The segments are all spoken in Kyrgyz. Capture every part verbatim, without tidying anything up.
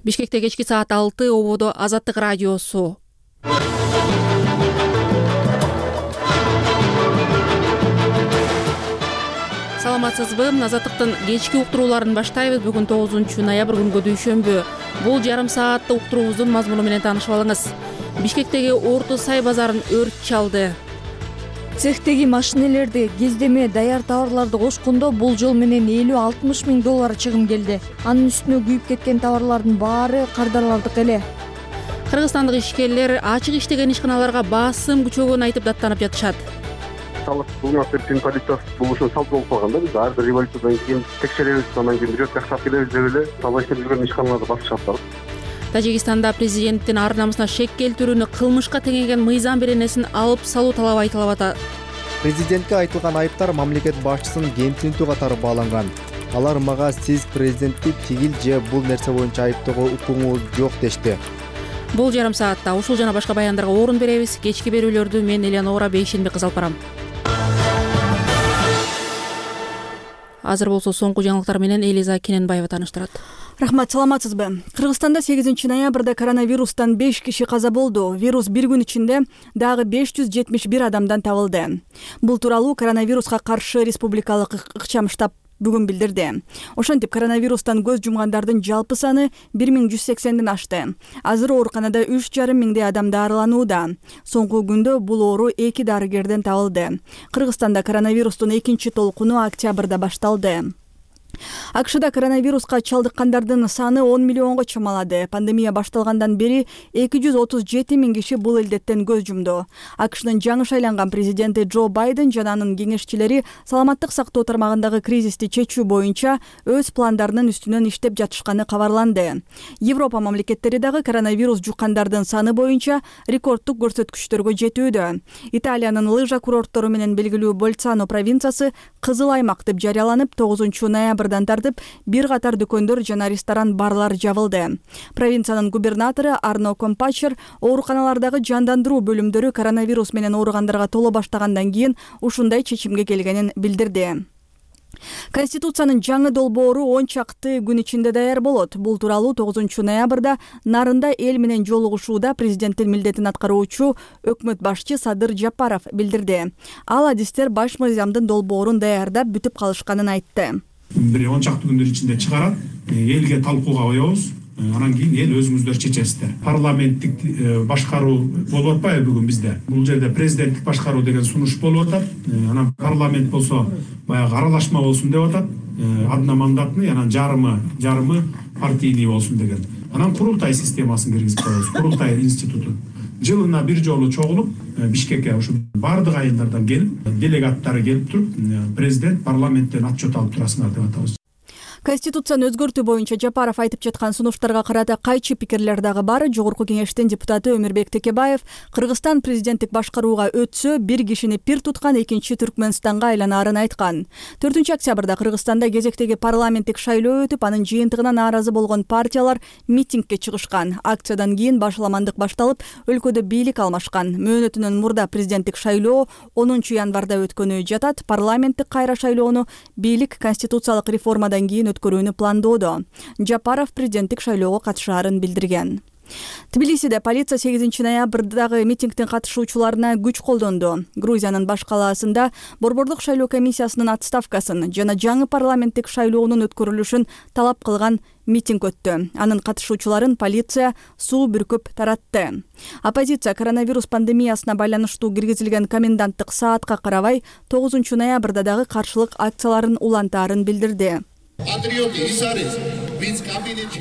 Бишкекте кечки саат алты, ободо Азаттык радиосу. Саламатсызбы? Азаттыктын кечки уктурууларын баштайбыз. Бүгүн тогузунчу ноябрь күнгө дүйшөмбү. Бул жарым сааттык уктуруубуздун мазмуну менен таанышып алыңыз. Бишкектеги Орто Сай базарын өрт чалды. Цехтеги машинелерди кездеме даяр товарларды кошкондо бул жол менен элүү алтымыш миң доллар чыгым келди. Анын үстүнө күйүп кеткен товарлардын баары кардарлардык эле. Кыргызстандык ишкерлер ачык иштеген ишканаларга басым күчөгөнүн айтып даттанып жатышат. Бул насыптын полициясы бул ушун салт болуп калган да. Биз ар бир революциядан кийин текшеребиз, андан кийин бирөөт жакшап келебиз деп эле сала иштеп жүргөн ишканаларды басып чыгып. Тажикстанда президенттин ар намысына шек келтирүүнү кылмышка теңеген мыйзам беренесин алып салуу талабы айтылып атат. Президентке айтылган айыптар мамлекет башчысын кемсинтүү катары бааланган. Алар мага сиз президентти тигил же бул нерсе боюнча айыптоого укугуңуз жок дешти. Бул жарым саатта ушул жана башка баяндарга орун беребиз. Кечки берүүлөрдү мен Элеонора Бейшенбек кызы алып барам. Азыр болсо соңку жаңылыктар менен Элиза Кененбаева тааныштырат. Рахмат, саламатсызбы? Кыргызстанда сегизинчи ноябрда коронавирустан беш киши каза болду. Вирус бир күн ичинде дагы беш жүз жетимиш бир адамдан табылды. Бул тууралуу коронавируска каршы республикалык ыкчам штаб бүгүн билдирди. Ошентип коронавирустан көз жумгандардын жалпы саны бир миң жүз сексенден ашты. Азыр ооруканада үч жарым миңдей адам дарыланууда. Соңку күндө бул оору эки дарыгерден табылды. Кыргызстанда коронавирустун экинчи толкуну октябрда башталды. АКШда коронавируска чалдыккандардын саны он миллионго чамалады. Пандемия башталгандан бери эки жүз отуз жети миң киши бул илдеттен көз жумду. АКШнын жаңы шайланган президенти Джо Байден жана анын кеңешчилери саламаттык сактоо тармагындагы кризисти чечүү боюнча өз пландарынын үстүнөн иштеп жатышканы кабарланды. Европа мамлекеттери дагы коронавирус жуккандардын саны боюнча рекордтук көрсөткүчтөргө жетүүдө. Италиянын лыжа курорттору менен белгилүү Больцано провинциясы кызыл аймак деп жарыяланып, тогузунчу ноябрдан тартып бир катар дүкөндөр жана ресторан барлар жабылды. Провинциянын губернатору Арно Компачер ооруканалардагы жандандыруу бөлүмдөрү коронавирус менен ооругандарга толо баштагандан кийин ушундай чечимге келгенин билдирди. Конституциянын жаңы долбоору он чакты күн ичинде даяр болот. Бул тууралуу тогузунчу ноябрда Нарында эл менен жолугушууда президенттин милдетин аткаруучу өкмөт башчы Садыр Жапаров билдирди. Ал адистер баш мыйзамдын долбоорун даярдап бүтүп калышканын айтты. Бир он чакты күндөр ичинде чыгарат, элге талкууга коебуз. Анан кийин эл өзүңүздөр чечесиздер. Парламенттик башкаруу болуп атпайбы бүгүн бизде? Бул жерде президенттик башкаруу деген сунуш болуп атат. Анан парламент болсо баягы аралашма болсун деп атат. Одномандатный, анан жарымы, жарымы партийный болсун деген. Анан курултай системасын киргизип коебуз. Курултай институтун. Жылына бир жолу чогулуп, Бишкекке ушу бардык айылдардан келип, делегаттары келип туруп, президент парламенттен отчет алып турасыңар деп атабыз. Конституцияны өзгөртүү боюнча Жапаров айтып жаткан сунуштарга карата кайчы пикирлер дагы бар. Жогорку кеңештин депутаты Өмүрбек Текебаев Кыргызстан президенттик башкарууга өтсө бир кишини пир туткан экинчи Түркмөнстанга айланаарын айткан. төртүнчү октябрда Кыргызстанда кезектеги парламенттик шайлоо өтүп, анын жыйынтыгына нааразы болгон партиялар митингге чыгышкан. Акциядан кийин башаламандык башталып, өлкөдө бийлик алмашкан. Мөөнөтүнөн мурда президенттик шайлоо онунчу январда өткөнү жатат. Парламенттик кайра шайлоону бийлик конституциялык реформадан кийин өткөрүүнү пландоодо. Жапаров президенттик шайлоого катышаарын билдирген. Тбилисиде полиция сегизинчи ноябрдагы митингдин катышуучуларына күч колдонду. Грузиянын баш калаасында борбордук шайлоо комиссиясынын отставкасын жана жаңы парламенттик шайлоонун өткөрүлүшүн талап кылган митинг өттү. Анын катышуучуларын полиция суу бүркүп таратты. Оппозиция коронавирус пандемиясына байланыштуу киргизилген коменданттык саатка карабай тогузунчу ноябрда дагы каршылык акцияларын улантаарын билдирди.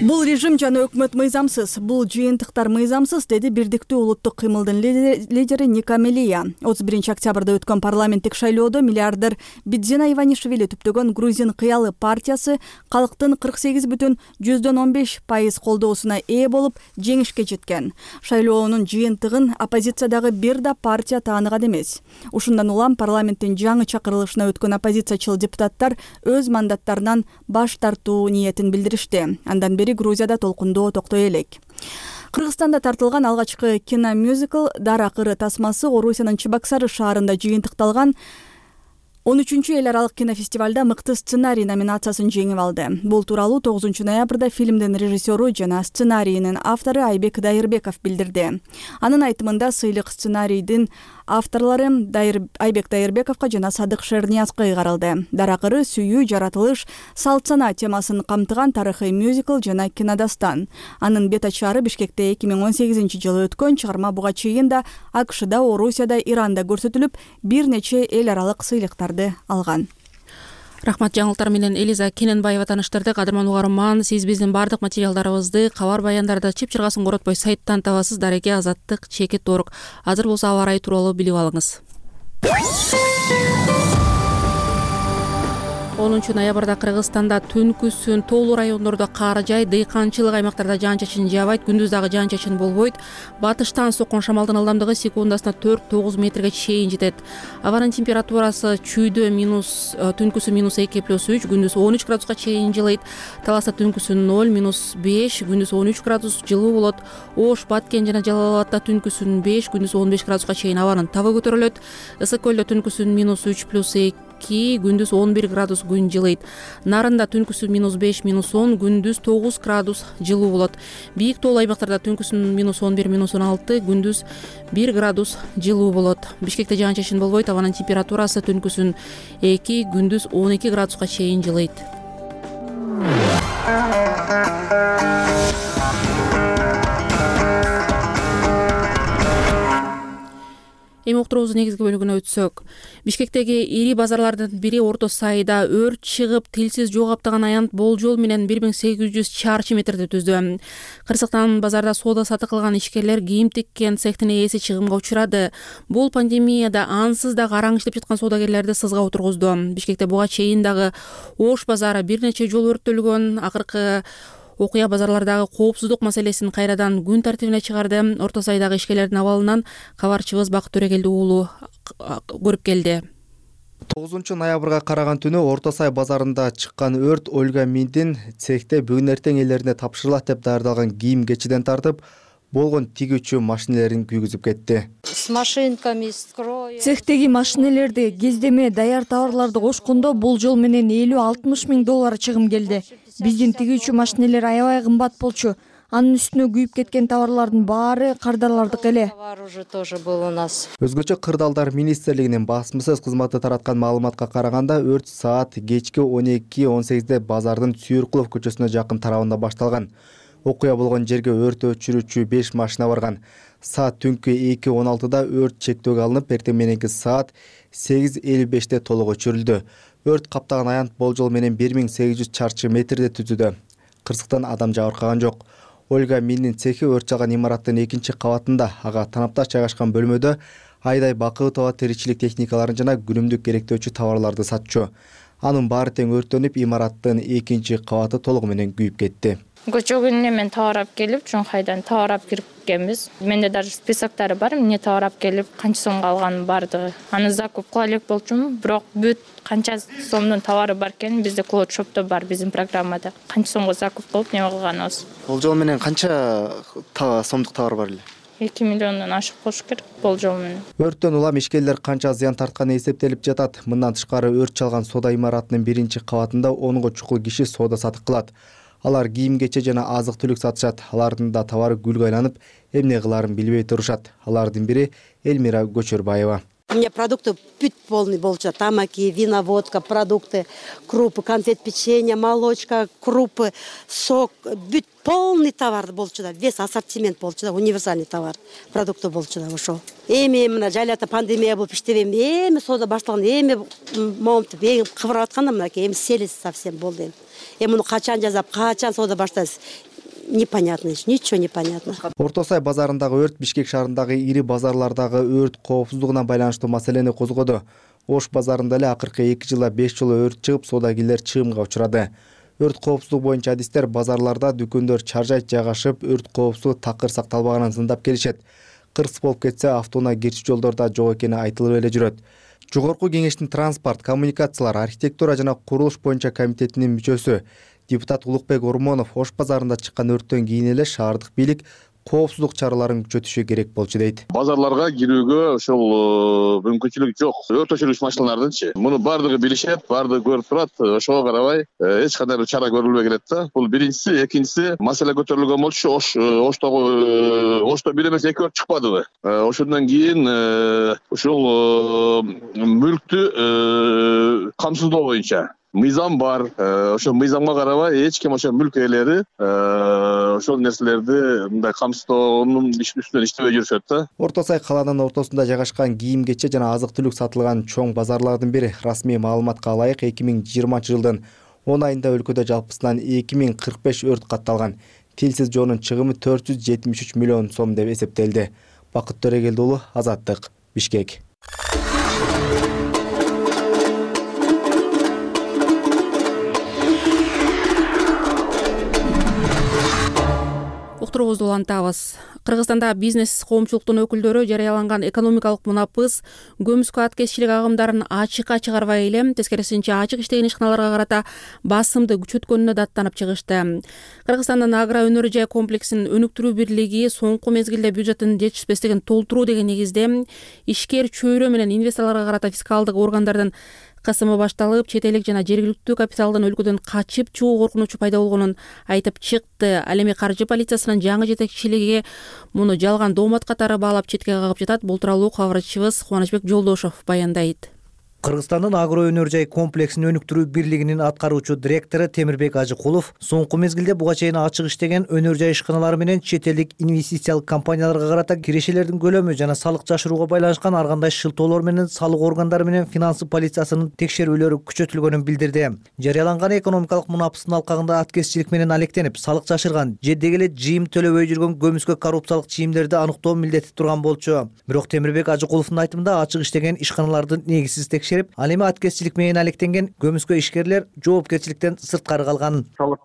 Бул режим жана өкмөт мыйзамсыз, бул жыйынтыктар мыйзамсыз, деди Бирдиктүү улуттук кыймылдын лидери Ника Мелия. отуз биринчи октябрда өткөн парламенттик шайлоодо миллиардер Бидзина Иванишвили түптөгөн Грузин кыялы партиясы калктын кырк сегиз бүтүн жүздөн он беш пайыз колдоосуна ээ болуп жеңишке жеткен. Шайлоонун жыйынтыгын оппозициядагы бир да партия тааныган эмес. Ушундан улам парламенттин жаңы чакырылышына өткөн оппозициячыл депутаттар өз мандаттарынан баш тартуу ниетин билдиришти. Андан бери Грузияда толкундоо токтой элек. Кыргызстанда тартылган алгачкы киномюзикл Дара кыры тасмасы Орусиянын Чебоксары шаарында жыйынтыкталган он үчүнчү эл аралык кинофестивалда мыкты сценарий номинациясын жеңип алды. Бул тууралуу тогузунчу ноябрда фильмдин режиссеру жана сценарийинин автору Айбек Дайырбеков билдирди. Анын айтымында сыйлык сценарийдин авторлору Айбек Дайырбековго жана Садык Шерниязга ыйгарылды. Даракыры сүйүү, жаратылыш, салт сана темасын камтыган тарыхый мюзикл жана кинодастан. Анын бет ачары Бишкекте эки миң он сегизинчи жылы өткөн чыгарма буга чейин да АКШда, Орусияда, Иранда көрсөтүлүп, бир нече эл аралык сыйлыктарды алган. Рахмат, жаңылыктар менен Элиза Кененбаева таныштырды. Кадырман угарман, сиз биздин бардык материалдарыбызды кабар баяндарды чып чыргасын коротпой сайттан табасыз. Дареке, Азаттык, Чекит, Торук. Азыр болсо аба ырайы тууралуу билип алыңыз. онунчу ноябрда Кыргызстанда түнкүсүн тоолуу райондордо кар жаайт, дыйканчылык аймактарда жаан-чачын жаабайт, күндүз дагы жаан-чачын болбойт. Батыштан соккон шамалдын ылдамдыгы секундасына төрт тогуз метрге чейин жетет. Абанын температурасы чүйдө минус түнкүсү минус эки плюс үч, күндүз он үч градуска чейин жылыйт. Таласта түнкүсү ноль минус беш, күндүз он үч градус жылуу болот. Ош, Баткен жана Жалал Абадта түнкүсүн беш, күндүз он беш градуска чейин абанын табы көтөрүлөт. Ысык көлдө түнкүсүн минус үч плюс эки, күндүз он бир градус күн жылыйт. Нарында түнкүсү минус беш минус он, күндүз тогуз градус жылуу болот. Бийик тоолуу аймактарда түнкүсүн минус он бир минус он алты, күндүз бир градус жылуу болот. Бишкекте жаан-чачын болбойт, абанын температурасы түнкүсүн эки, күндүз он эки градуска чейин жылыйт. Эми уктуруубуздун негизги бөлүгүнө өтсөк, Бишкектеги ири базарлардын бири Орто Сайда өрт чыгып, тилсиз жоо каптаган аянт болжол менен бир миң сегиз жүз чарчы метрди түздү. Кырсыктан базарда соода сатык кылган ишкерлер кийим тиккен цехтин ээси чыгымга учурады. Бул пандемияда ансыз да караң иштеп жаткан соодагерлерди сызга отургузду. Бишкекте буга чейин дагы Ош базары бир нече жолу өрттөлгөн. Акыркы окуя базарлардагы коопсуздук маселесин кайрадан күн тартибине чыгарды. Орто Сайдагы ишкерлердин абалынан кабарчыбыз Бакыт Төрегелди уулу көрүп келди. тогузунчу ноябрга караган түнү Орто Сай базарында чыккан өрт Ольга Миндин цехте бүгүн эртең элерине тапшырылат деп даярдалган кийим кечиден тартып, болгон тигүүчү машинелерин күйгүзүп кетти. С машинками, с кроем. Цехтеги машинелерди, кездеме даяр товарларды кошкондо бул жол менен элүү алтымыш миң доллар чыгым келди. Биздин тигүүчү машинелер аябай кымбат болчу. Анын үстүнө күйүп кеткен товарлардын баары кардарлардык эле. Товар уже тоже был у нас. Өзгөчө Кырдаалдар министрлигинин басмасөз кызматы тараткан маалыматка караганда, өрт саат кечки он эки он сегизде базардын Сүйүркулов көчөсүнө жакын тарабында башталган. Окуя болгон жерге өрт өчүрүүчү беш машина барган. Саат түнкү эки он алтыда өрт чектөөгө алынып, эртең мененки саат сегиз элүү беште толук өчүрүлдү. Өрт каптаган аянт болжол менен бир миң сегиз жүз чарчы метрди түзүүдө. Кырсыктан адам жабыркаган жок. Ольга Миндин цехи өрт чалган имараттын экинчи кабатында, ага танапташ жайгашкан бөлмөдө айдай Бакыбытова тиричилик техникаларын жана күнүмдүк керектөөчү товарларды сатчу. Анын баары тең өрттөнүп, имараттын экинчи кабаты толугу менен күйүп кетти. Көчөгүнө мен товар алып келип, Чоңкайдан товар алып кирипкенбиз. Менде даже списоктары бар, эмне товар алып келип, канча сомго алганын бардыгы. Аны закуп кыла элек болчумун, бирок бүт канча сомдун товары бар экен, бизде клоуд шопто бар, биздин программада. Канча сомго закуп кылып, неме кылганыбыз. Болжол менен канча сомдук товар бар эле? эки миллиондон ашык болуш керек болжол менен. Өрттөн улам ишкерлер канча зыян тартканы эсептелип жатат. Мындан тышкары өрт чалган соода имаратынын биринчи кабатында онго чукул киши соода сатык кылат. Алар кийим кече жана азык-түлүк сатышат. Алардын да товары гүлгө айланып, эмне кыларын билбей турушат. Алардын бири Элмира Көчөрбаева. У меня продукты бүт полный болчу. Тамаки, вина, водка, продукты, крупы, конфет, печенье, молочка, крупы, сок. Бүт полный товар болчу да. Весь ассортимент болчу да. Универсальный товар. Продукты болчу да ошол. Эми мына жайларда пандемия болуп иштебейм. Эми соода башталган, эми момунтип эми кыбырап атканда мынакей эми селиз совсем болду эми. Эми муну качан жазап, качан соода баштайбыз? Непонятно, ничего непонятно. Орто Сай базарындагы өрт Бишкек шаарындагы ири базарлардагы өрт коопсуздугуна байланыштуу маселени козгоду. Ош базарында эле акыркы эки жылда беш жолу өрт чыгып, соодагерлер чыгымга учурады. Өрт коопсуздугу боюнча адистер базарларда дүкөндөр чаржайт жайгашып, өрт коопсуздугу такыр сакталбаганын сындап келишет. Кырсык болуп кетсе, автоунаа кирчи жолдорда жок экени айтылып эле жүрөт. Жогорку кеңештин транспорт, коммуникациялар, архитектура жана курулуш боюнча комитетинин мүчөсү депутат Улукбек Ормонов Ош базарында чыккан өрттөн кийин эле шаардык бийлик коопсуздук чараларын күчөтүшү керек болчу дейт. Базарларга кирүүгө ошол мүмкүнчүлүк жок. Өрт өчүргүч машиналардынчы. Муну бардыгы билишет, бардыгы көрүп турат. Ошого карабай эч кандай бир чара көрүлбөй келет да. Бул биринчиси, экинчиси маселе көтөрүлгөн болчу. Ош Оштогу Ошто бир эмес эки өрт чыкпадыбы? Ошондон кийин ушул мүлктү камсыздоо боюнча мыйзам бар. Ошол мыйзамга карабай эч ким ошо мүлк ээлери ошол нерселерди мындай камсыздоонун үстүнөн иштебей жүрүшөт да. Орто Сай калаанын ортосунда жайгашкан кийим-кече жана азык-түлүк сатылган чоң базарлардын бири. Расмий маалыматка ылайык эки миң жыйырманчы жылдын он айында өлкөдө жалпысынан эки миң кырк беш өрт катталган. Тилсиз жоонун чыгымы төрт жүз жетимиш үч миллион сом деп эсептелди. Бакыт Төрөгелди уулу, Азаттык, Бишкек. Уктуруубузду улантабыз. Кыргызстанда бизнес коомчулуктун өкүлдөрү жарыяланган экономикалык мунапыс көмүскө аткезчилик агымдарын ачыкка чыгарбай эле тескерисинче ачык иштеген ишканаларга карата басымды күчөткөнүнө даттанып чыгышты. Кыргызстандын агро өнөр жай комплексин өнүктүрүү бирлиги соңку мезгилде бюджеттин жетишпестигин толтуруу деген негизде ишкер чөйрө менен инвесторлорго карата фискалдык органдардын кысымы башталып, чет элдик жана жергиликтүү капиталдын өлкөдөн качып чыгуу коркунучу пайда болгонун айтып чыкты. Ал эми каржы полициясынын жаңы жетекчилиги муну жалган доомат катары баалап четке кагып жатат. Бул тууралуу кабарчыбыз Кубанычбек Жолдошов баяндайт. Кыргызстандын агро өнөр жай комплексин өнүктүрүү бирлигинин аткаруучу директору Темирбек Ажыкулов соңку мезгилде буга чейин ачык иштеген өнөр жай ишканалары менен чет элдик инвестициялык компанияларга карата кирешелердин көлөмү жана салык жашырууга байланышкан ар кандай шылтоолор менен салык органдары менен финансы полициясынын текшерүүлөрү күчөтүлгөнүн билдирди. Жарыяланган экономикалык мунапыстын алкагында аткезчилик менен алектенип, салык жашырган же деги эле жыйым төлөбөй жүргөн көмүскө коррупциялык чийимдерди аныктоо милдети турган болчу. Бирок Темирбек Ажыкуловдун айтымында ачык иштеген ишканалардын негизсиз текшерип, ал эми аткезчилик менен алектенген көмүскө ишкерлер жоопкерчиликтен сырткары калган. Салык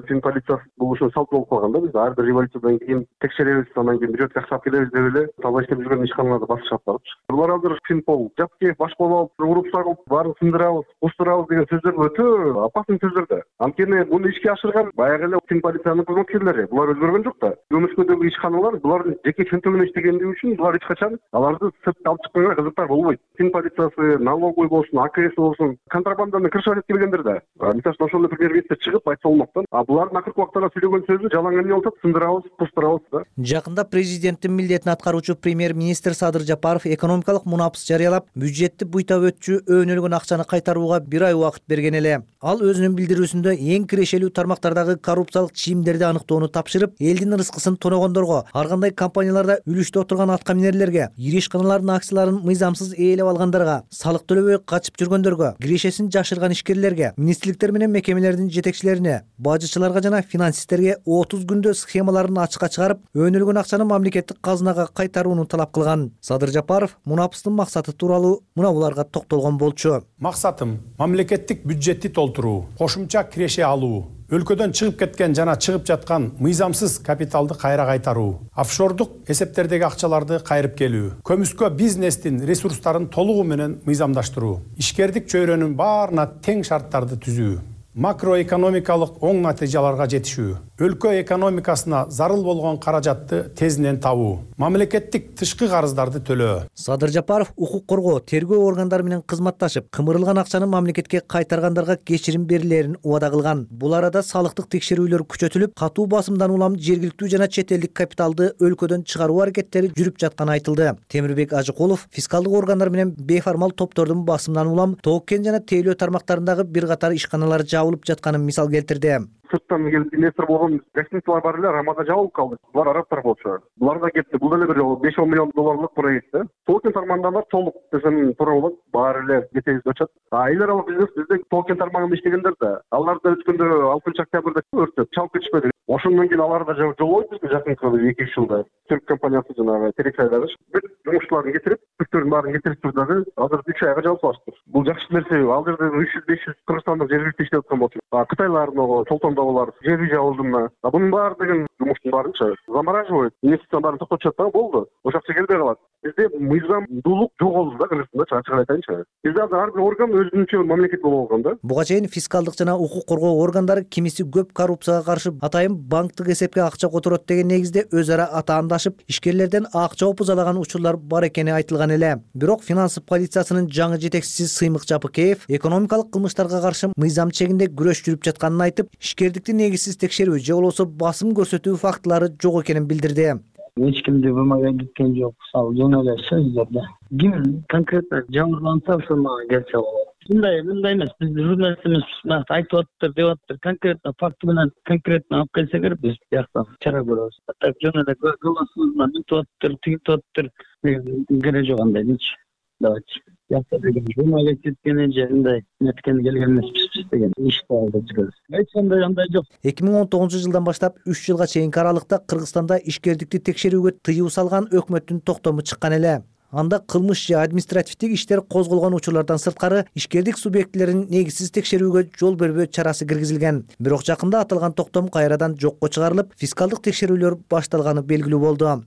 фин полициясы бул ушул салт болуп калган да. Биз ар бир революциядан кийин текшеребиз, андан кийин бюджетке акча алып келебиз деп эле таза иштеп жүргөн ишканаларды басышып атпакчы. Булар азыр Финпол жапке баш болуп, уруп сагып, баарын сындырабыз, устурабыз деген сөздөр өтө опасный сөздөр да. Анткени муну ишке ашырган баягы эле фин полициянын кызматкерлери. Булар өзгөргөн жок да. Көмүскөдөгү ишканалар булардын жеке чөнтөгүнө иштегендиги үчүн булар эч качан аларды сыртка алып чыкканга кызыктар болбойт. Фин полициясы, налоговый болсун, А К С болсун, контрабанданы крышать этип келгендер да. Мисалы ошондой премьер-министр чыгып айтса болмоктон, а булардын акыркы убактарда сүйлөгөн сөзү жалаң эмне болуп атат, сындырабыз, пустурабыз да. Жакында президенттин милдетин аткаруучу премьер-министр Садыр Жапаров экономикалык мунапыс жарыялап, бюджетти буйта өтчү өөнөлгөн акчаны кайтарууга бир ай убакыт берген эле. Ал өзүнүн билдирүүсүндө эң кирешелүү тармактардагы коррупциялык чийимдерди аныктоону тапшырып, элдин рызкысын тоногондорго, ар кандай компанияларда үлүштө отурган аткаминерлерге, ири ишканалардын акцияларын мыйзамсыз ээлеп алгандарга, салык төлөбөй качып жүргөндөргө, кирешесин жашырган ишкерлерге, министрликтер менен мекемелердин жетекчилерине, бажычыларга жана финансисттерге отуз күндө схемаларын ачыкка чыгарып, өөнөлгөн акчаны мамлекеттик казынага кайтарууну талап кылган. Садыр Жапаров мунапыстын максаты тууралуу мына буларга токтолгон болчу. Максатым мамлекеттик бюджетти толтуруу, кошумча киреше алуу, өлкөдөн чыгып кеткен жана чыгып жаткан мыйзамсыз капиталды кайра кайтаруу, офшордук эсептердеги акчаларды кайрып келүү, көмүскө бизнестин ресурстарын толугу менен мыйзамдаштыруу, ишкердик чөйрөнүн баарына тең шарттарды түзүү, макроэкономикалык оң натыйжаларга жетишүү, өлкө экономикасына зарыл болгон каражатты тезинен табуу, мамлекеттик тышкы карыздарды төлөө. Садыр Жапаров укук коргоо, тергөө органдары менен кызматташып, кымырылган акчаны мамлекетке кайтаргандарга кечирим берилерин убада кылган. Бул арада салыктык текшерүүлөр күчөтүлүп, катуу басымдан улам жергиликтүү жана чет элдик капиталды өлкөдөн чыгаруу аракеттери жүрүп жатканы айтылды. Темирбек Ажыкулов фискалдык органдар менен бейформал топтордун басымдан улам тоок-кен жана тейлөө тармактарындагы бир катар ишканалар жабылып жатканын мисал келтирди. Сырттан келип инвестор болгон гостиницалар бар эле, Рамада жабылып калды. Булар арабтар болчу. Булар да кетти. Бул деле бир беш он миллион долларлык проект да. Токен тармагында толук десем туура болот. Баары эле кетебиз өчөт. А эл аралык бизнес бизде токен тармагында иштегендер да. Алар да өткөндө алтынчы октябрда өрттөп чалып кетишпеди. Ошондон кийин алар да жолойт бизге жакынкы эки үч жылда. Түрк компаниясы жанагы Терексайдагы бүт жумушчуларын кетирип, бүттөрүн баарын кетирип турдагы азыр үч айга жабылып алыштыр. Бул жакшы нерсе. Ал жерде үч жүз беш жүз кыргызстандык жергиликтүү иштеп аткан болчу. Кытайлардын чолтондогулар жерби жабылдымы. Бунун баары деген жумуштун баарынчы замораживать, инвестициянын баарын токтотушат дагы болду. Ошол акча келбей калат. Бизде мыйзамдуулук жоголду да Кыргызстанда, чыгып айтайынчы. Бизде азыр ар бир орган өзүнчө мамлекет болуп алган да. Буга чейин фискалдык жана укук коргоо органдары кимиси көп коррупцияга каршы атайын банктык эсепке акча которот деген негизде өз ара атаандашып, ишкерлерден акча опузалаган учурлар бар экени айтылган эле. Бирок финанс полициясынын жаңы жетекчиси Сыймык Жапыкеев экономикалык кылмыштарга каршы мыйзам чегинде күрөш жүрүп жатканын айтып, ишкердикти негизсиз текшерүү же болбосо басым көрсөтүү фактылары жок экенин билдирди. Эч кимди бумага кеткен жок. Мисалы жөн эле сөздөрдө ким конкретно жабырланса ошо мага келсе болот. Мындай мындай эмес, биз журналист эмеспиз, мынакты айтып атыптыр, деп атыптыр. Конкретно факты менен конкретно алып келсеңер биз бияктан чара көрөбүз. Так жөн эле голосубуздан мынтип атыптыр, тигинтип атыптыр деген кереги жок андайдычы. Давайте. Биякта деген журналист кеткени же мындай неткени келген эмеспиз деген ишти алып жүрөбүз. Эч кандай андай жок. эки миң он тогузунчу жылдан баштап үч жылга чейинки аралыкта Кыргызстанда ишкердикти текшерүүгө тыюу салган өкмөттүн токтому чыккан эле. Анда кылмыш же административдик иштер козголгон учурлардан сырткары ишкердик субъектилерин негизсиз текшерүүгө жол бербөө чарасы киргизилген. Бирок жакында аталган токтом кайрадан жокко чыгарылып, фискалдык текшерүүлөр башталганы белгилүү болду.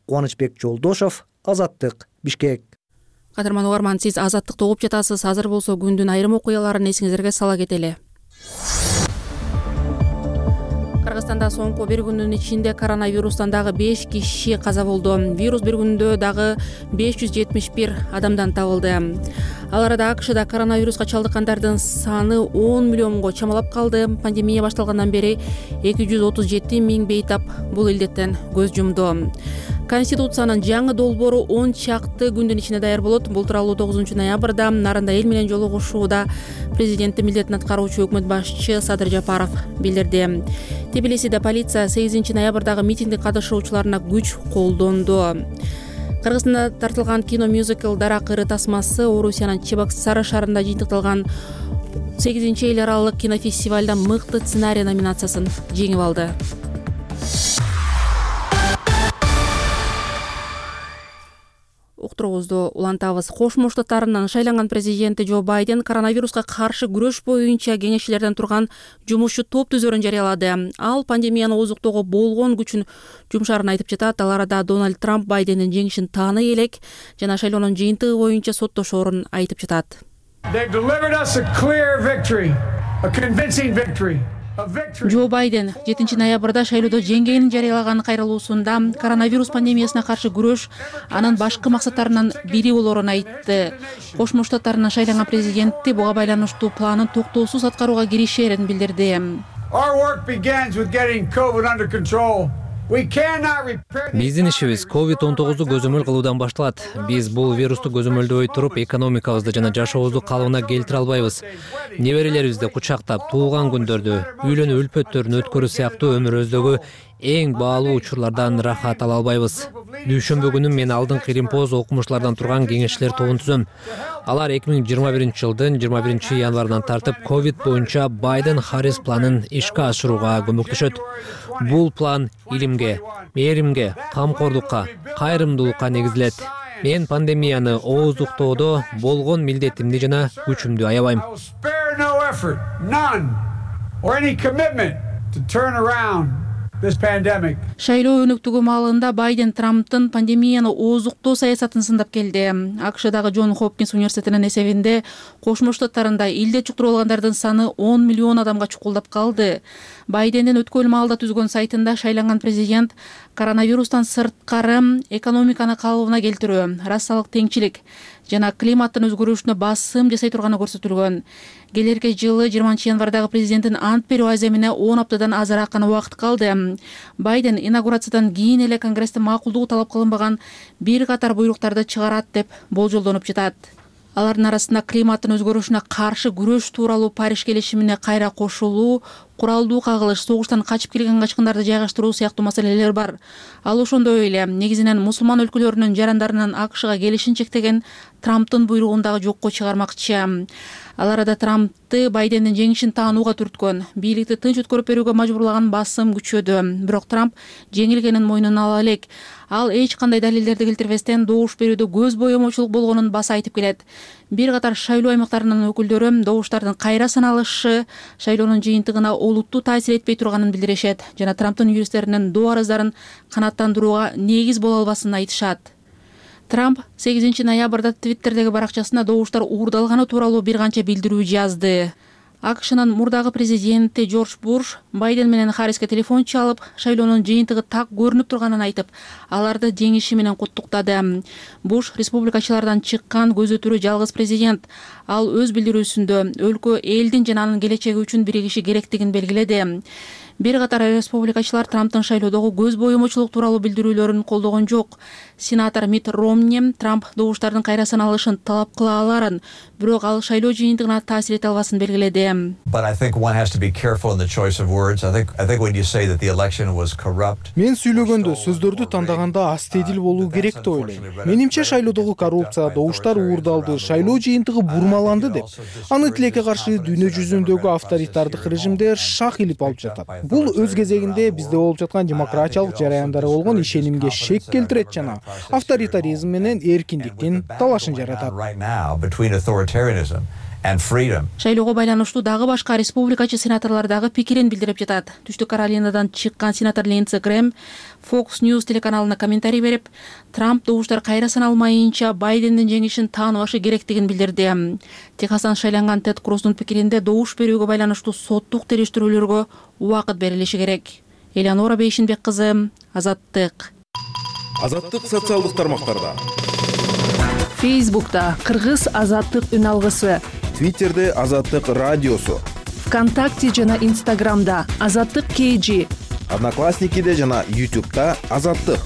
Кубанычбек Жолдошов, Азаттык, Бишкек. Кадырман угарман, сиз Азаттыкты угуп жатасыз. Азыр болсо күндүн айрым окуяларын эсиңиздерге сала кетели. Кыргызстанда соңку бир күндүн ичинде коронавирустан дагы беш киши каза болду. Вирус бир күндө дагы беш жүз жетимиш бир адамдан табылды. Ал арада АКШда коронавируска чалдыккандардын саны он миллионго чамалап калды. Пандемия башталгандан бери эки жүз отуз жети миң бейтап бул илдеттен көз жумду. Конституциянын жаңы долбоору он чакты күндүн ичинде даяр болот. Бул тууралуу тогузунчу ноябрда Нарында эл менен жолугушууда президенттин милдетин аткаруучу өкмөт башчы Садыр Жапаров билдирди. Тбилисиде полиция сегизинчи ноябрдагы митингде катышуучуларына күч колдонду. Кыргызстанда тартылган кино мюзикл Дарак ыры тасмасы Орусиянын Чебоксары шаарында жыйынтыкталган сегизинчи эл аралык кинофестивалда мыкты сценарий номинациясын жеңип алды. Уктуруубузду улантабыз. Кошмо Штаттарынын шайланган президенти Джо Байден коронавируска каршы күрөш боюнча кеңешчилерден турган жумушчу топ түзөрүн жарыялады. Ал пандемияны ооздуктоого болгон күчүн жумшаарын айтып жатат. Ал арада Дональд Трамп Байдендин жеңишин тааный элек жана шайлоонун жыйынтыгы боюнча соттошоорун айтып жатат. Джо Байден жетинчи ноябрда шайлоодо жеңгенин жарыялаган кайрылуусунда коронавирус пандемиясына каршы күрөш анын башкы максаттарынын бири болоорун айтты. Кошмо Штаттарынын шайланган президенти буга байланыштуу планын токтоосуз аткарууга киришерин билдирди. Биздин ишибиз ковид он тогузду көзөмөл кылуудан башталат. Биз бул вирусту көзөмөлдөбөй туруп, экономикабызды жана жашообузду калыбына келтире албайбыз. Неберелерибизди кучактап, туулган күндөрдү, үйлөнүү үлпөттөрүн өткөрүү сыяктуу өмүрүбүздөгү эң баалуу учурлардан рахат ала албайбыз. Дүйшөмбү күнү мен алдыңкы Римпоз окумуштуулардан турган кеңешчилер тобун түзөм. Алар эки миң жыйырма биринчи жылдын жыйырма биринчи январынан тартып ковид боюнча Байден Харрис планын ишке ашырууга көмөктөшөт. Бул план илимге, мээримге, камкордукка, кайрымдуулукка негизилет. Мен пандемияны ооздуктоодо болгон милдетимди жана күчүмдү аябайм. Шайлоо өнүктүгү маалында Байден Трамптын пандемияны ооздуктоо саясатын сындап келди. АКШдагы Джон Хопкинс университетинин эсебинде Кошмо Штаттарында илде чуктуруп алгандардын саны он миллион адамга чукулдап калды. Байдендин өткөн маалда түзгөн сайтында шайланган президент коронавирустан сырткары экономиканы калыбына келтирүү, расалык теңчилик жана климаттын өзгөрүшүнө басым жасай турганы көрсөтүлгөн. Келерки жылы жыйырманчы январдагы президенттин ант берүү аземине он аптадан азыраак гана убакыт калды. Байден инаугурациядан кийин эле Конгресстен макулдугу талап кылынбаган бир катар буйруктарды чыгарат деп болжолдонуп жатат. Алардын арасында климаттын өзгөрүшүнө каршы күрөш тууралуу Париж келишимине кайра кошулуу, куралдуу кагылыш, согуштан качып келген качкындарды жайгаштыруу сыяктуу маселелер бар. Ал ошондой эле негизинен мусулман өлкөлөрүнүн жарандарынын АКШга келишин чектеген Трамптын буйругун дагы жокко чыгармакчы. Ал арада Трампты Байдендин жеңишин таанууга түрткөн, бийликти тынч өткөрүп берүүгө мажбурлаган басым күчөдү. Бирок Трамп жеңилгенин мойнуна ала элек. Ал эч кандай далилдерди келтирбестен добуш берүүдө көз боемочулук болгонун баса айтып келет. Бир катар шайлоо аймактарынын өкүлдөрү добуштардын кайра саналышы шайлоонун жыйынтыгына олуттуу таасир этпей турганын билдиришет жана Трамптын юристтеринин доо арыздарын канааттандырууга негиз боло албасын айтышат. Трамп сегизинчи ноябрда Твиттердеги баракчасына добуштар уурдалганы тууралуу бир канча билдирүү жазды. АКШнын мурдагы президенти Джордж Буш Байден менен Харриске телефон чалып, шайлоонун жыйынтыгы так көрүнүп турганын айтып, аларды жеңиши менен куттуктады. Буш республикачылардан чыккан көзү түрү жалгыз президент. Ал өз билдирүүсүндө өлкө элдин жана анын келечеги үчүн биригиши керектигин белгиледи. Бир катар республикачылар Трамптын шайлоодогу көз боюмучулук тууралуу билдирүүлөрүн колдогон жок. Сенатор Митт Ромни Трамп добуштардын кайра саналышын талап кыла аларын, бирок ал шайлоо жыйынтыгына таасир эте албасын белгиледи. Мен сүйлөгөндө, сөздөрдү тандаганда астедил болуу керек деп ойлойм. Менимче шайлоодогу коррупция, добуштар уурдалды, шайлоо жыйынтыгы бурмаланды деп. Аны тилекке каршы дүйнө жүзүндөгү авторитардык режимдер шак илип алып жатат. Бул өз кезегинде бизде болуп жаткан демократиялык жараяндары болгон ишенимге шек келтирет жана авторитаризм менен эркиндиктин талашын жаратат. Шайлоого байланыштуу дагы башка республикачы сенаторлор дагы пикирин билдирип жатат. Түштүк Каролинадан чыккан сенатор Линдси Грэм Fox News телеканалына комментарий берип, Трамп добуштар кайра саналмайынча Байдендин жеңишин тааныбашы керектигин билдирди. Техастан шайланган Тед Круздун пикиринде добуш берүүгө байланыштуу соттук териштирүүлөргө убакыт берилиши керек. Элеонора Бейшинбек кызы, Азаттык. Азаттык социалдык тармактарда. Фейсбукта Кыргыз Азаттык үн алгысы. Твиттерде Азаттык радиосу. ВКонтакте жана Инстаграмда Азаттык кей джи. Одноклассникиде жана Ютубта Азаттык.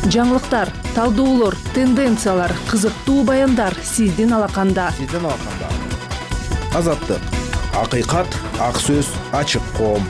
Жаңылыктар, талдоолор, тенденциялар, кызыктуу баяндар сиздин алаканда. Сиздин алаканда. Азаттык. Акыйкат, ак сөз, ачык коом.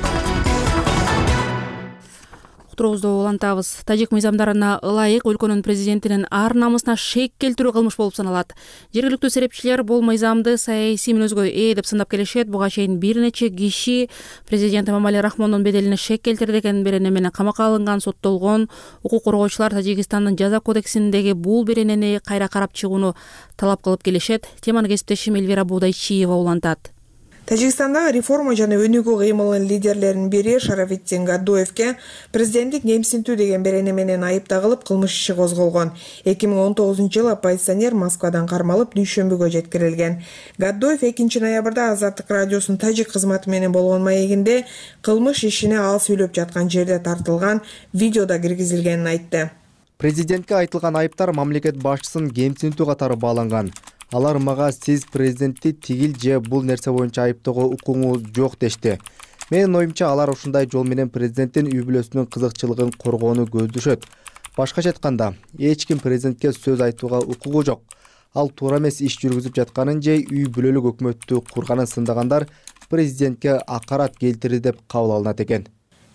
Уктуруубузду улантабыз. Тажик мыйзамдарына ылайык өлкөнүн президентинин ар намысына шек келтирүү кылмыш болуп саналат. Жергиликтүү серепчилер бул мыйзамды саясий мүнөзгө ээ деп сындап келишет. Буга чейин бир нече киши президент Эмомали Рахмондун беделине шек келтирди деген берене менен камакка алынган, соттолгон. Укук коргоочулар Тажикстандын жаза кодексиндеги бул беренени кайра карап чыгууну талап кылып келишет. Теманы кесиптешим Эльвира Будайчиева улантат. Тажикстандагы реформа жана өнүгүү кыймылынын лидерлеринин бири Шарафиддин Гаддоевке президенттик кемсинтүү деген берене менен айып тагылып кылмыш иши козголгон. эки миң он тогузунчу жылы оппозиционер Москвадан кармалып дүйшөмбүгө жеткирилген. Гаддоев экинчи ноябрда Азаттык радиосунун тажик кызматы менен болгон маегинде кылмыш ишине ал сүйлөп жаткан жерде тартылган видеода киргизилгенин айтты. Президентке айтылган айыптар мамлекет башчысын кемсинтүү катары бааланган. Алар мага сиз президентти тигил же бул нерсе боюнча айыптоого укугуңуз жок дешти. Менин оюмча алар ушундай жол менен президенттин үй бүлөсүнүн кызыкчылыгын коргоону көздөшөт. Башкача айтканда, эч ким президентке сөз айтууга укугу жок. Ал туура эмес иш жүргүзүп жатканын же үй бүлөлүк өкмөттү курганын сындагандар президентке акарат келтирди деп кабыл алынат экен.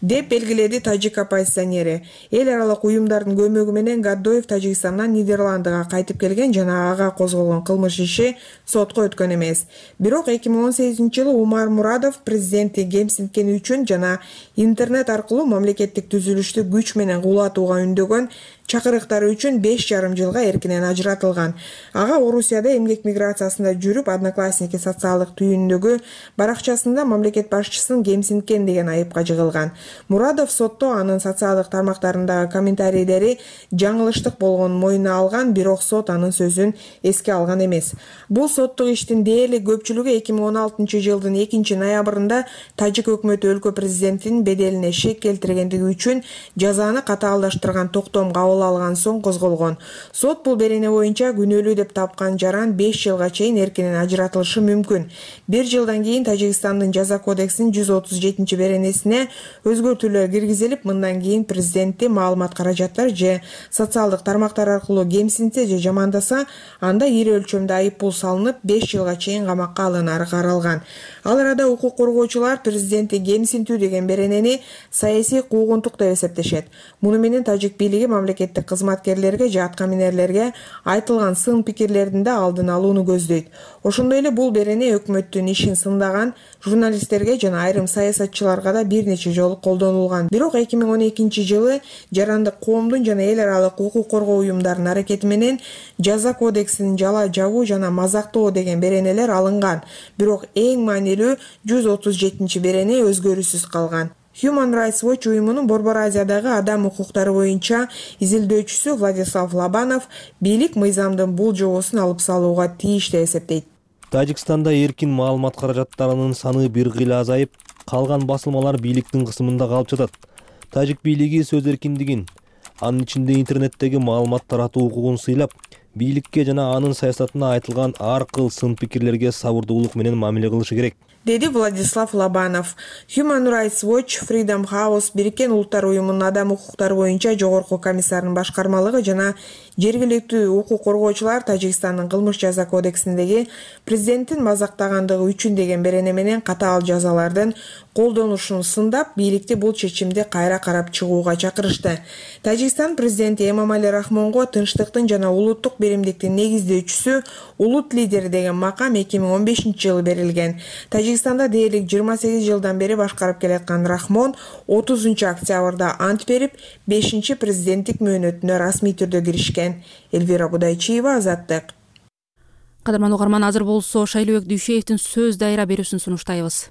деп белгиледи тажик оппозиционери. Эл аралык уюмдардын көмөгү менен Гаддоев Тажикстандан Нидерландыга кайтып келген жана ага козголгон кылмыш иши сотко өткөн эмес. Бирок эки миң он сегизинчи жылы Умар Мурадов президентти кемсинткени үчүн жана интернет аркылуу мамлекеттик түзүлүштү күч менен кулатууга үндөгөн чакырыктары үчүн беш жарым жылга эркинен ажыратылган. Ага Орусияда эмгек миграциясында жүрүп, Одноклассники социалдык түйүндөгү баракчасында мамлекет башчысын кемсинткен деген айыпка жыгылган. Мурадов сотто анын социалдык тармактарындагы комментарийлери жаңылыштык болгонун мойнуна алган, бирок сот анын сөзүн эске алган эмес. Бул соттук иштин дээрлик көпчүлүгү эки миң он алтынчы жылдын экинчи ноябрында тажик өкмөтү өлкө президентинин беделине шек келтиргендиги үчүн жазаны катаалдаштырган токтом кабыл алган соң козголгон. Сот бул берене боюнча күнөөлүү деп тапкан жаран беш жылга чейин эркинен ажыратылышы мүмкүн. Бир жылдан кийин Тажикстандын жаза кодексинин жүз отуз жетинчи беренесине өзгөртүүлөр киргизилип, мындан кийин президентти маалымат каражаттар же социалдык тармактар аркылуу кемсинтсе же жамандаса, анда ири өлчөмдө айып пул салынып, беш жылга чейин камакка алынары каралган. Ал арада укук коргоочулар президентти кемсинтүү деген беренени саясий куугунтук деп эсептешет. Муну менен тажик бийлиги мамлекеттик кызматкерлерге же аткаминерлерге айтылган сын пикирлердин да алдын алууну көздөйт. Ошондой эле бул берене өкмөттүн ишин сындаган журналисттерге жана айрым саясатчыларга да бир нече жолу колдонулган. Бирок эки миң он экинчи жылы жарандык коомдун жана эл аралык укук коргоо уюмдарынын аракети менен жаза кодексинин жала жабуу жана мазактоо деген беренелер алынган. Бирок эң маанилүү элүү жүз отуз жетинчи берене өзгөрүүсүз калган. Human Rights Watch уюмунун Борбор Азиядагы адам укуктары боюнча изилдөөчүсү Владислав Лобанов бийлик мыйзамдын бул жобосун алып салууга тийиш деп эсептейт. Тажикстанда эркин маалымат каражаттарынын саны бир кыйла азайып, калган басылмалар бийликтин кысымында калып жатат. Тажик бийлиги сөз эркиндигин, анын ичинде интернеттеги маалымат таратуу укугун сыйлап, бийликке жана анын саясатына айтылган ар кыл сын пикирлерге сабырдуулук менен мамиле кылышы керек, деди Владислав Лобанов. Human Rights Watch, Freedom House, Бириккен Улуттар уюмунун адам укуктары боюнча жогорку комиссарынын башкармалыгы жана жергиликтүү укук коргоочулар Тажикстандын кылмыш жаза кодексиндеги президенттин мазактагандыгы үчүн деген берене менен катаал жазалардын колдонулушун сындап, бийликти бул чечимди кайра карап чыгууга чакырышты. Тажикстан президенти Эмомали Рахмонго тынчтыктын жана улуттук биримдиктин негиздөөчүсү, улут лидери деген макам эки миң он бешинчи жылы берилген. Тажикстанда дээрлик жыйырма сегиз жылдан бери башкарып келаткан Рахмон отузунчу октябрда ант берип, бешинчи президенттик мөөнөтүнө расмий түрдө киришкен. Элвира Будайчиева, Азаттык. Кадырман угарман, азыр болсо Шайлообек Дүйшеевдин сөз дайра берүүсүн сунуштайбыз.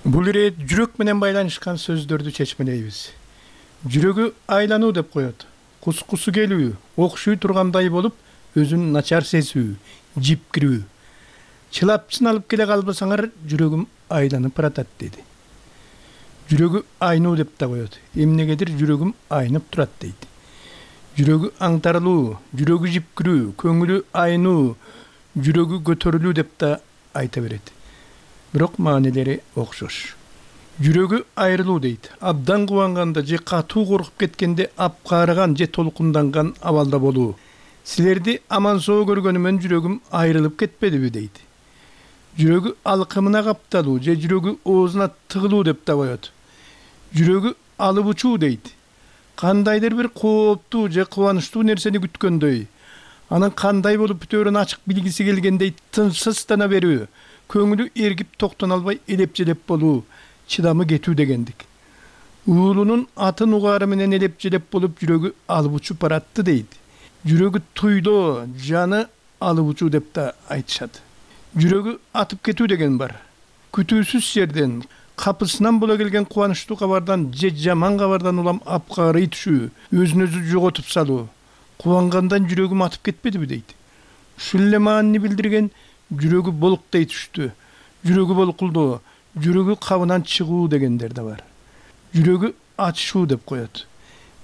Бул ирет жүрөк менен байланышкан сөздөрдү чечмелейбиз. Жүрөгү айлануу деп коет. Кускусу келүү, окшуй тургандай болуп, өзүн начар сезүү, жипкирүү. Чылапчын алып келе калбасаңар, жүрөгүм айланып баратат деди. Жүрөгү айнуу деп да коет. Эмнегедир жүрөгүм айнып турат дейт. Жүрөгү аңтарылуу, жүрөгү жипкирүү, көңүлү айнуу, жүрөгү көтөрүлүү деп да айта берет. Бирок маанилери окшош. Жүрөгү айрылуу дейт. Абдан кубанганда же катуу коркуп кеткенде апкаарыган же толкунданган абалда болуу. Силерди аман-соо көргөнүмөн жүрөгүм айрылып кетпедиби дейт. Жүрөгү алкымына капталуу же жүрөгү оозуна тыгылуу деп да коет. Жүрөгү алып учуу дейт. Кандайдыр бир кооптуу же кубанычтуу нерсени күткөндөй, анын кандай болуп бүтөөрүн ачык билгиси келгендей тынчсыздана берүү, көңүлү эргип токтоно албай элеп-желеп болуу, чыдамы кетүү дегендик. Уулунун атын угаары менен элеп-желеп болуп жүрөгү алып учуп баратты дейт. Жүрөгү туйлоо, жаны алып учуу деп да айтышат. Жүрөгү атып кетүү деген бар. Күтүүсүз жерден, капысынан бола келген кубанычтуу кабардан же жаман кабардан улам апкаарый түшүү, өзүн өзү жоготуп салуу. Кубангандан жүрөгүм атып кетпедиби дейт. Ушул эле маанини билдирген жүрөгү болуктей түштү, жүрөгү болкулдоо, жүрөгү кабынан чыгуу дегендер да бар. Жүрөгү ачышуу деп коет.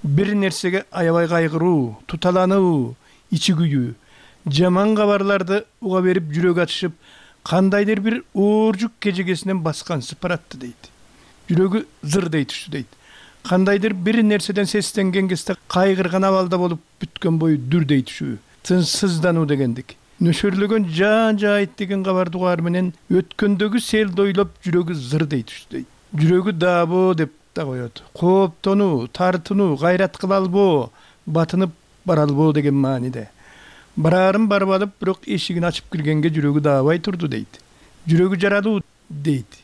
Бир нерсеге аябай кайгыруу, туталануу, ичи күйүү, жаман кабарларды уга берип жүрөк ачышып, кандайдыр бир ооржук кежегесинен баскансып баратты дейт. Жүрөгү зырдей түштү дейт. Кандайдыр бир нерседен сестенген кезде кайгырган абалда болуп бүткөн бою дүрдей түшүү, тынчсыздануу дегендик. Нөшөрлөгөн жан жайыт деген кабарды угаар менен өткөндөгү селди ойлоп жүрөгү зырдей түштү дейт. Жүрөгү даабоо деп да коет. Кооптонуу, тартынуу, кайрат кыла албоо, батынып бара албоо деген мааниде. Бараарын барып алып, бирок эшигин ачып киргенге жүрөгү даабай турду дейт. Жүрөгү жаралуу дейт.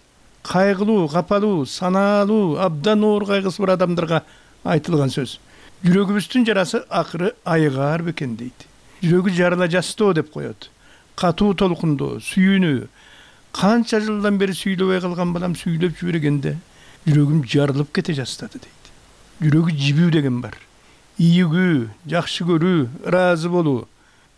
Кайгылуу, капалуу, санаалуу, абдан оор кайгысы бар адамдарга айтылган сөз. Жүрөгүбүздүн жарасы акыры айыгаар бекен дейт. Жүрөгү жарыла жастоо деп коет. Катуу толкундоо, сүйүүнүү. Канча жылдан бери сүйлөбөй калган балам сүйлөп жибергенде жүрөгүм жарылып кете жастады дейт. Жүрөгү жибүү деген бар. Ийгүү, жакшы көрүү, ыраазы болуу.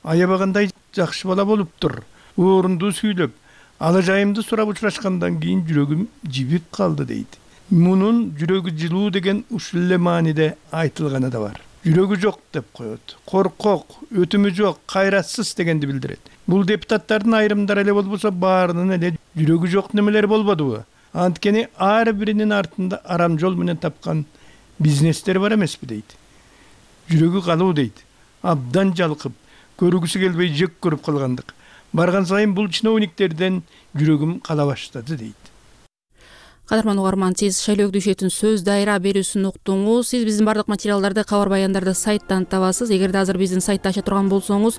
Аябагандай жакшы бала болуптур. Орунду сүйлөп, алажайымды сурап учурашкандан кийин жүрөгүм жибип калды дейт. Мунун жүрөгү жылуу деген ушул эле мааниде айтылганы да бар. Жүрөгү жок деп коет. Коркок, өтүмү жок, кайратсыз дегенди билдирет. Бул депутаттардын айрымдары эле болбосо баарынын эле жүрөгү жок немелер болбодубу? Анткени ар биринин артында арам жол менен тапкан бизнестер бар эмеспи дейт. Жүрөгү калуу дейт. Абдан жалкып, көргүсү келбей жек көрүп калгандык. Барган сайын бул чиновниктерден жүрөгүм кала баштады дейт. Кадырман угарман, сиз Шайлообек Дүйшеевдин сөз дайра берүүсүн уктуңуз. Сиз биздин бардык материалдарды, кабар баяндарды сайттан табасыз. Эгерде азыр биздин сайтты ача турган болсоңуз,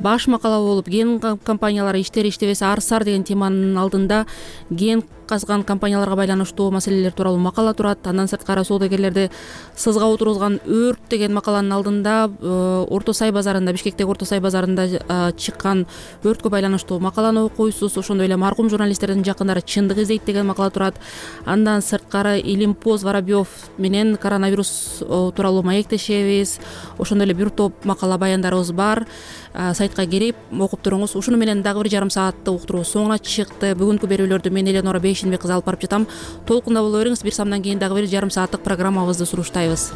баш макала болуп ген компаниялары иштер иштебесе арсар деген теманын алдында ген казган компанияларга байланыштуу маселелер тууралуу макала турат. Андан сырткары соодагерлерди сызга отургузган өрт деген макаланын алдында Орто Сай базарында, Бишкектеги Орто Сай базарында чыккан өрткө байланыштуу макаланы окуйсуз. Ошондой эле маркум журналисттердин жакындары чындык издейт деген макала турат. Андан сырткары Илимпоз Воробьев менен коронавирус тууралуу маектешебиз. Ошондой эле бир топ макала баяндарыбыз бар. Сайтка кирип окуп туруңуз. Ушуну менен дагы бир жарым сааттык уктуруу соңуна чыкты. Бүгүнкү берүүлөрдү мен Эленора Бейшенбек кызы алып барып жатам. Толкунда боло бериңиз. Бир самдан кийин дагы бир жарым сааттык программабызды суруштайбыз.